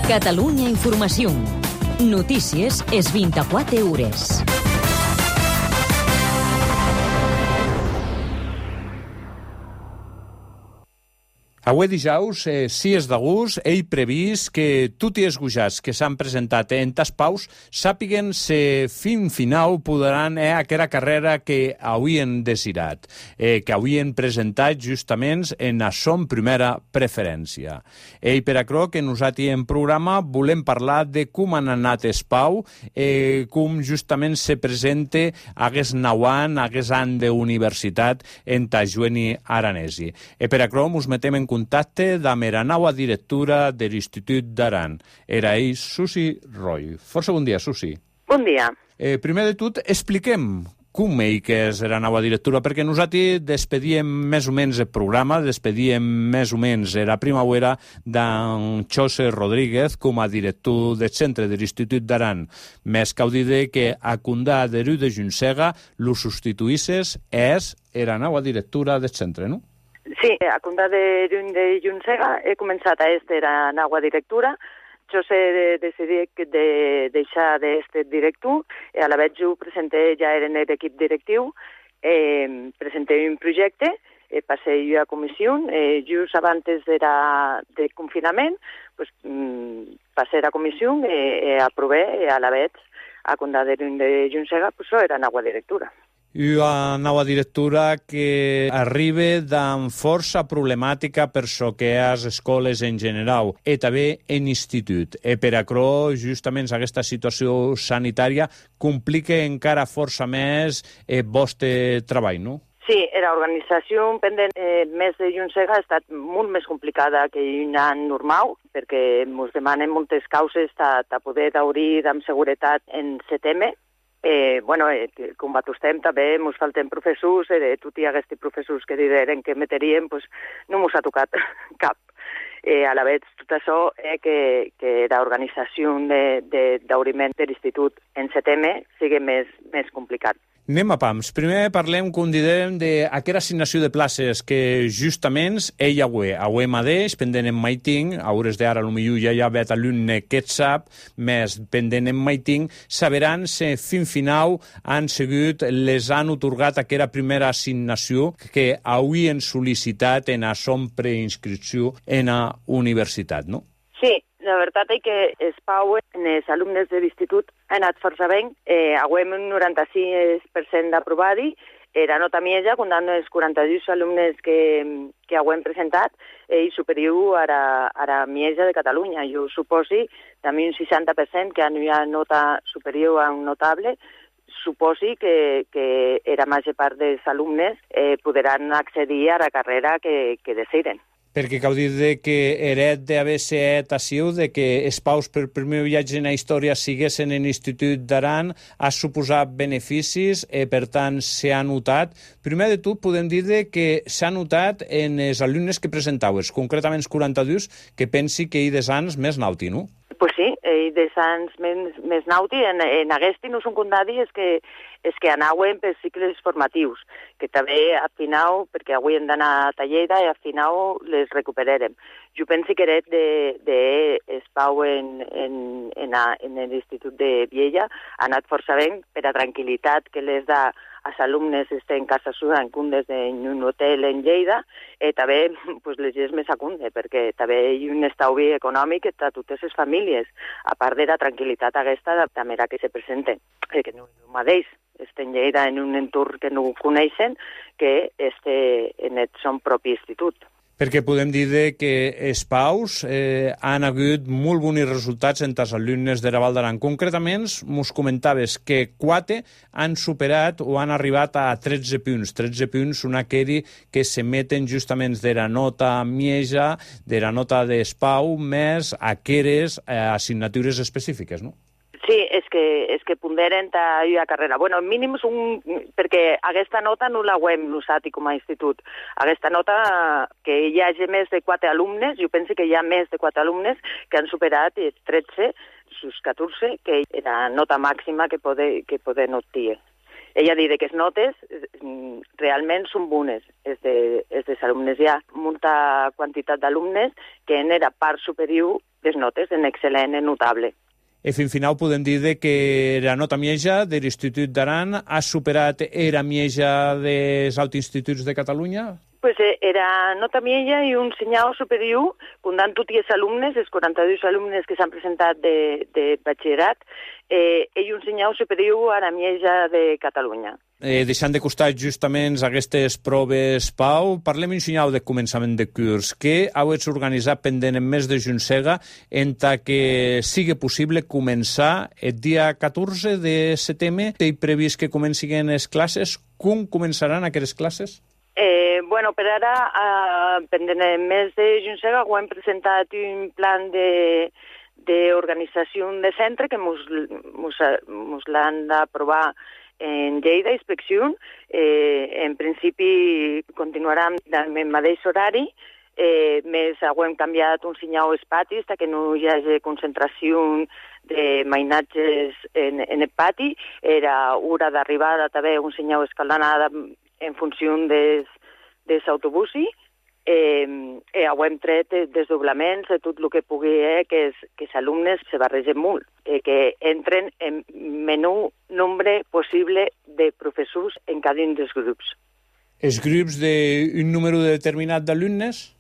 Catalunya Informació. Notícies és 24 hores. Avui dijous, 6 d'agost, he previst que tots els gujats que s'han presentat en tas paus sàpiguen si fin final podran aquella carrera que havien desirat, que havien presentat justament en la son primera preferència. Per això que nosaltres en programa volem parlar de com han anat els pau, com justament se presenta aquest nou any, aquest any d'universitat en Tajueni Aranesi. Per això ens metem en contacte amb la nova directora de l'Institut d'Aran. Era ell, Susi Roy. Força bon dia, Susi. Bon dia. Primer de tot, expliquem com que és la nova directora, perquè nosaltres despedíem més o menys el programa, despedíem més o menys la primavera d'en José Rodríguez com a director del centre de l'Institut d'Aran. Més cal dir que a Condà de Rui de Juncega lo substituïsses és la nova directora del centre, no? Sí, a Condà de Juncega he començat a estar a nova directora. Jo sé decidir de deixar d'estar director, a la vegada ho presenté ja en l'equip directiu, presenté un projecte, passé jo a comissió, just abans del confinament, passé a comissió i aprové a la vegada a Condà de Juncega, era nova directora. Una nova directora que arriba amb força problemàtica per so que a les escoles en general i també en institut. Per això, justament, aquesta situació sanitària complica encara força més el vostre treball, no? Sí, l'organització pendent més de Juncega ha estat molt més complicada que un any normal, perquè ens demanen moltes causes de poder obrir amb seguretat en setembre. Com batostem també ens falten professors, tot hi hagués professors que diren que meterien, no ens ha tocat cap. A la vegada, tot això que l'organització d'obriment de l'institut en setembre sigui més complicat. Anem a pams. Primer parlem, com direm, d'aquesta assignació de places que justament avui mateix, pendent en maiting, a hores d'ara potser ja hi ha vet alumne que et sap, més pendent en maiting, sabran si fin final han sigut, les han otorgat aquesta primera assignació que havien sol·licitat en la son preinscripció en la universitat, no? Sí. La veritat és que es pau en els alumnes de l'institut ha anat força bé. Avui un 96% d'aprovadi. La nota mitja, comptant els 42 alumnes que avui hem presentat, és superior a la mitja de Catalunya. Jo suposi també un 60% que hi ha nota superior a un notable, suposi que la major part dels alumnes podran accedir a la carrera que desitgen. Perquè cal dir que heret d'haver set així, de que els paus per primer viatge en la història siguessin en l'Institut d'Aran, ha suposat beneficis i, per tant, s'ha notat. Primer de tot, podem dir que s'ha notat en els alumnes que presentaues, concretament els 42, que pensi que hi des anys més nauti, no? Pues sí, des anys més nauti. En aquest no són condadi és que anaven per cicles formatius, que també al final, perquè avui hem d'anar a Lleida i al final les recuperarem. Jo penso que era d'espau en l'Institut de Viella ha anat força bé per a tranquil·litat que les da als alumnes estan en casa seva en comptes en un hotel en Lleida, i també les és més acunde, perquè també hi ha un estalvi econòmic a totes les famílies, a part de la tranquil·litat aquesta de la manera que se presenten. Que no és el mateix, estem en Lleida en un entorn que no coneixen, que en el son propi institut. Perquè podem dir que els paus han hagut molt bons resultats entre els alumnes de la Val d'Aran. Concretament, ens comentaves que 4 han superat o han arribat a 13 punts. 13 punts són aquells que s'emeten justament de la nota mitja, de la nota d'espau, més aquelles assignatures específiques, no? Sí, és que ponderen la carrera. Bueno, mínim perquè aquesta nota no la hem usat com a institut. Aquesta nota, que hi hagi més de 4 alumnes, jo penso que hi ha més de 4 alumnes que han superat 13, sus 14, que és la nota màxima que poden obtenir. Ella diu que les notes realment són bones. Els alumnes hi ha molta quantitat d'alumnes que en la part superior les notes en excel·lent, en notable. I fin final podem dir que la nota mieja de l'Institut d'Aran ha superat la mieja dels altres instituts de Catalunya? Pues era nota mieja i un senyal superior, comptant tots els alumnes, els 42 alumnes que s'han presentat de batxillerat, i un senyal superior a la mieja de Catalunya. Deixant de costat justament aquestes proves, Pau, parlem un senyal de començament de curs. Què heu organitzat pendent en mes de juny-sega entre que sigui possible començar el dia 14 de setembre? Té previst que comencin les classes? Com començaran aquestes classes? Bueno, per ara, pendent el mes de juny-sega, hem presentat un plan d'organització de centre que mos l'han d'aprovar en Lleida, inspecció. En principi continuarà amb el mateix horari, més hem canviat un senyal als patis perquè no hi hagi concentració de mainatges en el pati. Era hora d'arribada també un senyal escalonada en funció dels autobusos. Hem tret desdoblaments de tot el que pugui que els alumnes se barregen molt, que entren en menor nombre possible de professors en cada un dels grups. Els grups d'un número determinat d'alumnes?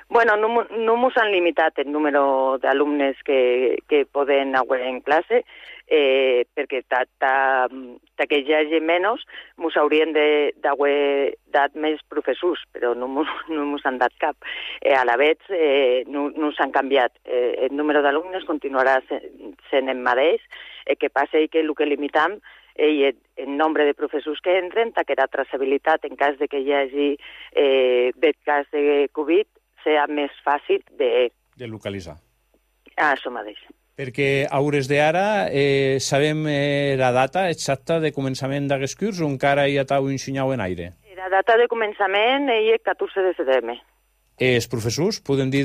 Bueno, no mos han limitat el número d'alumnes que poden anar en classe, perquè que hi hagi menys, mos haurien d'haver dat més professors, però no mos han dat cap. A la vegada no s'han canviat. El número d'alumnes continuarà sent el mateix, que passa que el que limitam i el nombre de professors que entren, que la traçabilitat en cas de que hi hagi cas de Covid, serà més fàcil de localitzar. Això mateix. Perquè a hores d'ara sabem la data exacta de començament d'aquest curs o encara hi ha un senyal en aire? La data de començament és el 14 de setembre. Els professors, podem dir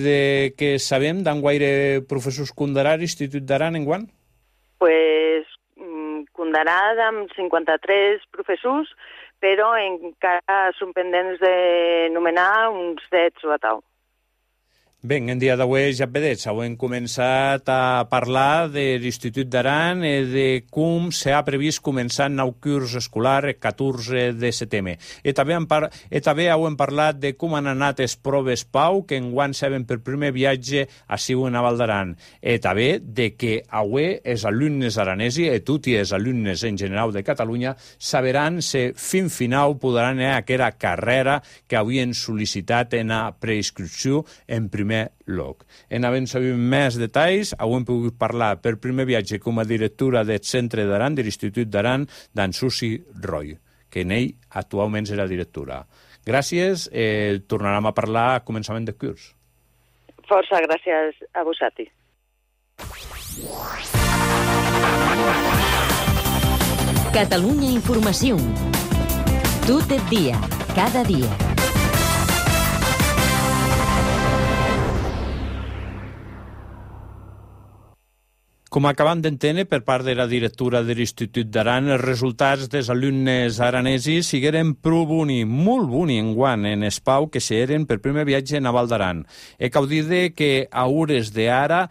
que sabem d'enguaire professors condarà l'Institut d'Aran enguant? Pues condarà amb 53 professors, però encara són pendents de nomenar uns 10 o a tal. Bé, en dia d'avui ja vedets, hem començat a parlar de l'Institut d'Aran i de com s'ha previst començar el nou curs escolar el 14 de setembre. I també hem parlat de com han anat les proves, Pau, que enguany saben per primer viatge a Siu en Val d'Aran. I també de que avui els alumnes aranesos i tots els alumnes en general de Catalunya sabran si fin final podran anar a aquella carrera que havien sol·licitat en la preinscripció en primer lloc. En havent sabut més detalls, hem pogut parlar per primer viatge com a directora del Centre d'Aran, de l'Institut d'Aran, d'en Susi Roy, que en ell actualment és la directora. Gràcies, tornarem a parlar a començament de curs. Força gràcies a vosaltres. Catalunya Informació. Tot el dia, cada dia. Com acabem d'entendre per part de la directora de l'Institut d'Aran, els resultats dels alumnes aranesos sigueren prou boni, molt boni enguant en Espau, que s'eren per primer viatge a Val d'Aran. Cal dir que a hores d'ara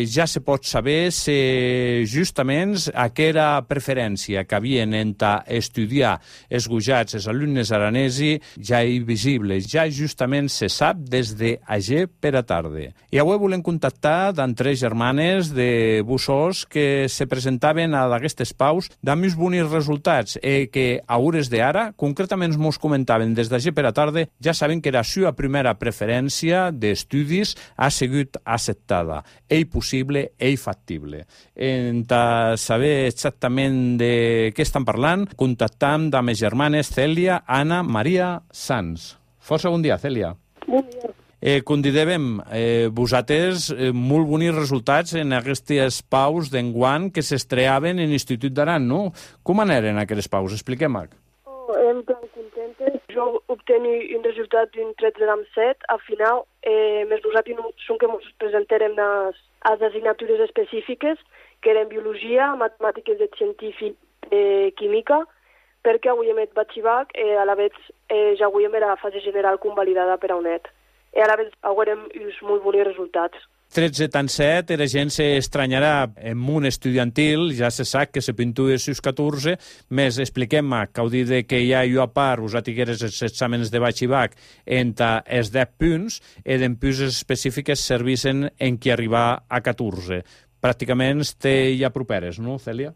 ja se pot saber si justament aquella preferència que havien entre estudiar esgujats els alumnes aranesos ja és visible, ja justament se sap des d'ahir per a tarda. I avui volem contactar amb 3 germanes de bussors que se presentaven a aquestes paus amb uns bons resultats que a hores d'ara, concretament mos comentaven des d'ahir per a tarda, ja saben que la seva primera preferència d'estudis ha sigut acceptada. És possible, és factible. Per saber exactament de què estan parlant, contactam amb les germanes Cèlia, Anna, Maria, Sans. Força bon dia, Cèlia. Bon dia. Com dèiem, vosaltres molt bons resultats en aquestes paus d'enguant que s'estreaven en l'Institut d'Aran, no? Com anaven aquestes paus? Expliquem-ho. En plan contentes. Jo obtenir un resultat d'un 13,7. Al final, més vosaltres són que ens presentarem les assignatures específiques, que eren biologia, matemàtiques de científic, química, perquè avui hem batxivac, a la vegada ja avui hem la fase general convalidada per a UNED. I a la vegada haurem uns molt bons resultats. 13 tan 7, la gent s'estranyarà en un estudiantil, ja se sap que se pintua sus 14, més expliquem-me que ho dit que hi ha jo a part, us atigueres els exàmens de batxibac entre els 10 punts, i d'empús específiques servissen en qui arribar a 14. Pràcticament té ja properes, no, Cèlia?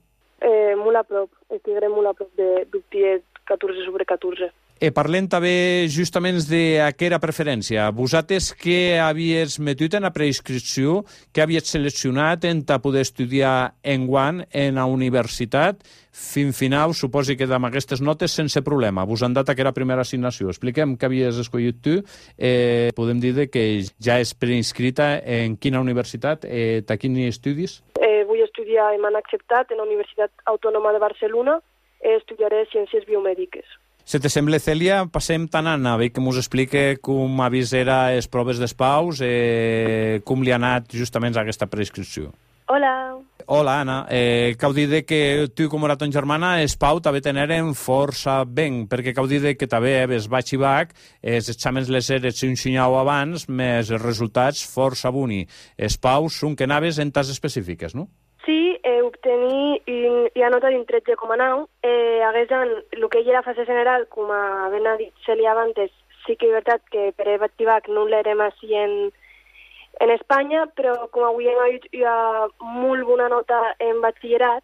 Molt a prop, estiguem molt a prop d'obtir 14 sobre 14. Parlem també justament d'aquesta preferència. Vosaltres què havies metut en la preinscripció, què havies seleccionat en poder estudiar enguany en la universitat? Fins final, suposi que amb aquestes notes sense problema. Vos han dat aquesta primera assignació. Expliquem què havies escollit tu. Podem dir que ja és preinscrita en quina universitat, a quins estudis? Vull estudiar, m'han acceptat en la Universitat Autònoma de Barcelona, estudiaré Ciències Biomèdiques. Si te sembla, Cèlia, passem tant a Anna, que ens explique com avisera les proves d'espaus, com li ha anat justament a aquesta preinscripció. Hola. Hola, Anna. Cau dir que tu, com era ton germana, Espau també teneren força ben, perquè cau dir que també ves batxibac, els exàmens les eres un xinyau abans, més els resultats força boni. Espau són que anaves en tas específiques, no? Sí, obtenir i anota d'un 13,9. El que ella era fase general, com ben ha dit Cèlia abans, sí que és veritat que per a batxibac no l'erem així en Espanya, però com avui hem dit hi ha molt bona nota en batxillerat,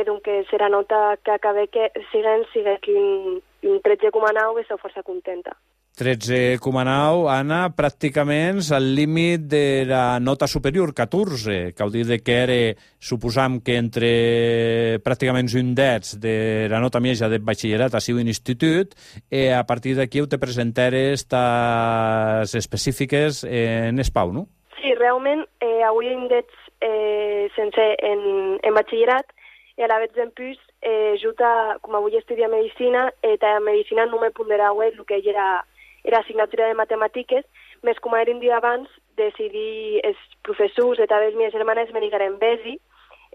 doncs serà nota que acabe que siga que un 13,9 és força contenta. 13,9, Anna, pràcticament al límit de la nota superior, 14, que vol dir que era, suposam que entre pràcticament un 10 de la nota mitja de batxillerat a sigut un institut, i a partir d'aquí te presenteres les específiques en Espau, no? Sí, realment, avui hem dit sense en batxillerat, i a la vegada en plus, com avui estudia Medicina, a Medicina no me pondrà el que era assignatura de matemàtiques, més com era un dia abans, decidir els professors i també les meves germanes me digueren vés-hi,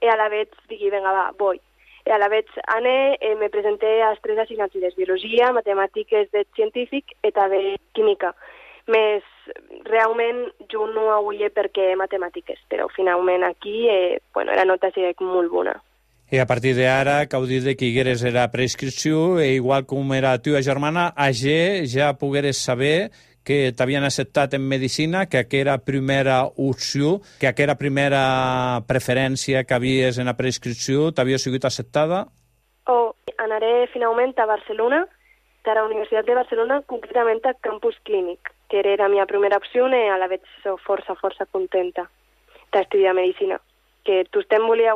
i a la vegada digui, vinga, va, vull. I a la vegada ané, me presenté a les 3 assignatures, biologia, matemàtiques de científic i també química. Més, realment, jo no avui perquè matemàtiques, però finalment aquí, la nota sigui molt bona. I a partir d'ara, cau dir que higueres era preinscripció, i igual com era la teva germana, ja pogueres saber que t'havien acceptat en Medicina, que aquella primera opció, que aquella primera preferència que havies en la preinscripció t'havia sigut acceptada? Anaré finalment a Barcelona, a la Universitat de Barcelona, concretament a Campus Clínic, que era la meva primera opció i a la vegada soc força contenta d'estudiar Medicina. Que tothom he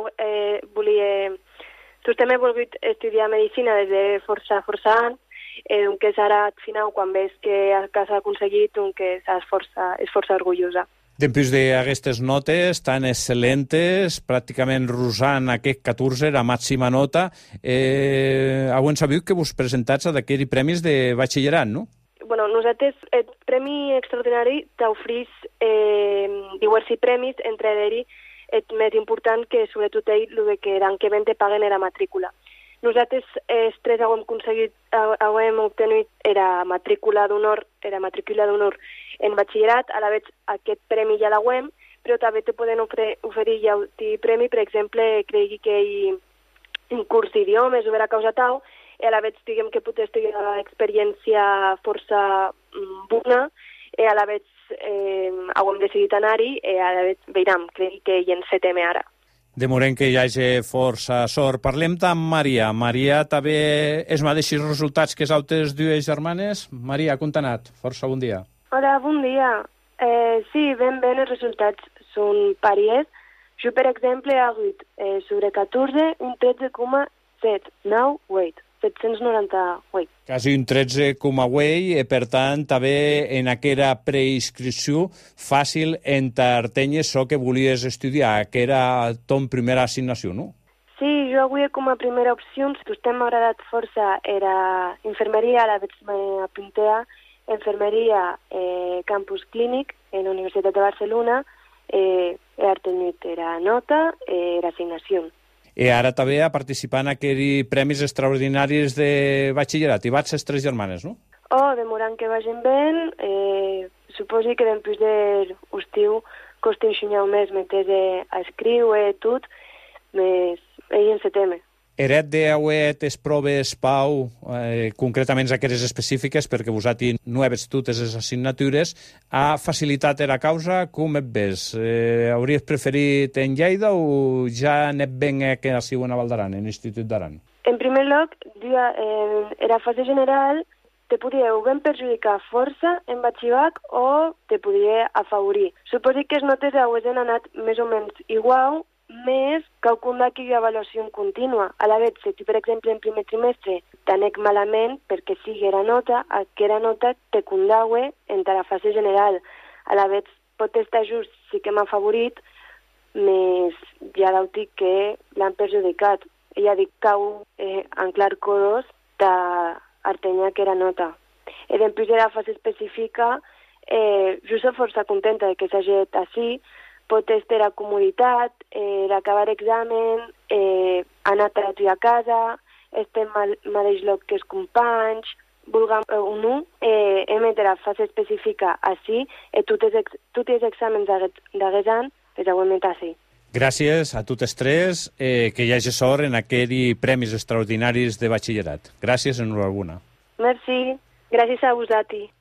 volgut estudiar Medicina des de força anys, que ara, al final, quan veus que has aconseguit, que és força orgullosa. Després d'aquestes notes tan excel·lentes, pràcticament rosant aquest 14, la màxima nota, heu sabut que vos presentats a d'aquests premis de batxillerat, no? Bueno, nosaltres, el Premi Extraordinari t'oferís diversos premis, entre ells el més important que sobretot ell, el que l'any que ven te paguen era matrícula. Nosaltres els 3 hem obtenut era matrícula d'honor en batxillerat, a la vegada aquest premi ja l'hem, però també te poden oferir ja un premi, per exemple, cregui que hi ha un curs d'idiomes o vera causa tal, i a la vegada diguem que pot estudiar experiència força bona, i a la vegada hem decidit anar-hi, i a la vegada veurem, crec que hi encetem ara. Demorem que hi hagi força sort. Parlem amb Maria. Maria també és mateixos resultats que les altres dues germanes. Maria, com t'ha anat? Força bon dia. Hola, bon dia. Sí, ben bé els resultats són pares. Jo, per exemple, he hagut sobre 14 un 13,798. 798. Quasi un 13,8, i per tant també en aquella preinscripció fàcil entertenya això que volies estudiar, que era ton primera assignació, no? Sí, jo avui com a primera opció, vostè m'ha agradat força, era infermeria, a la vegada m'apunté a infermeria Campus Clínic en la Universitat de Barcelona, he obtingut era nota, era assignació. I ara també a participar en aquells premis extraordinaris de batxillerat. I vaig les 3 germanes, no? Demorant que vagin bé, suposo que després de l'estiu costa enxunyau més metes a escriure tot, més ell en se teme. Eret d'auer les proves, Pau, concretament aquelles específiques, perquè vosaltres no heves totes les assignatures, ha facilitat la causa? Com et ves? Hauries preferit en Lleida o ja anet ben que siu a Valdaran, en l'Institut d'Aran? En primer lloc, en la fase general te podia o ben perjudicar força en batxibac o te podia afavorir. Suposo que les notes han anat més o menys igual, més que hi ha avaluació contínua. A la vegada, si per exemple en primer trimestre t'anec malament perquè sigui la nota, aquella nota te condaue en la fase general. A la vegada pot estar just, sí que m'ha favorit, més ja l'autic que l'han perjudicat. Ella dic cau en clar codos d'artenya que era nota. I després de la fase específica, jo soc força contenta de que s'hagi així, pot estar a comoditat, acabar examen, anar a casa, estem al mateix lloc que els companys, vulguem o no, emetre la fase específica així, i tots els exàmens d'aquest any els heu emet així. Gràcies a totes tres, que hi hagi sort en aquells premis extraordinaris de batxillerat. Gràcies, enhorabona. Merci, gràcies a vosaltres.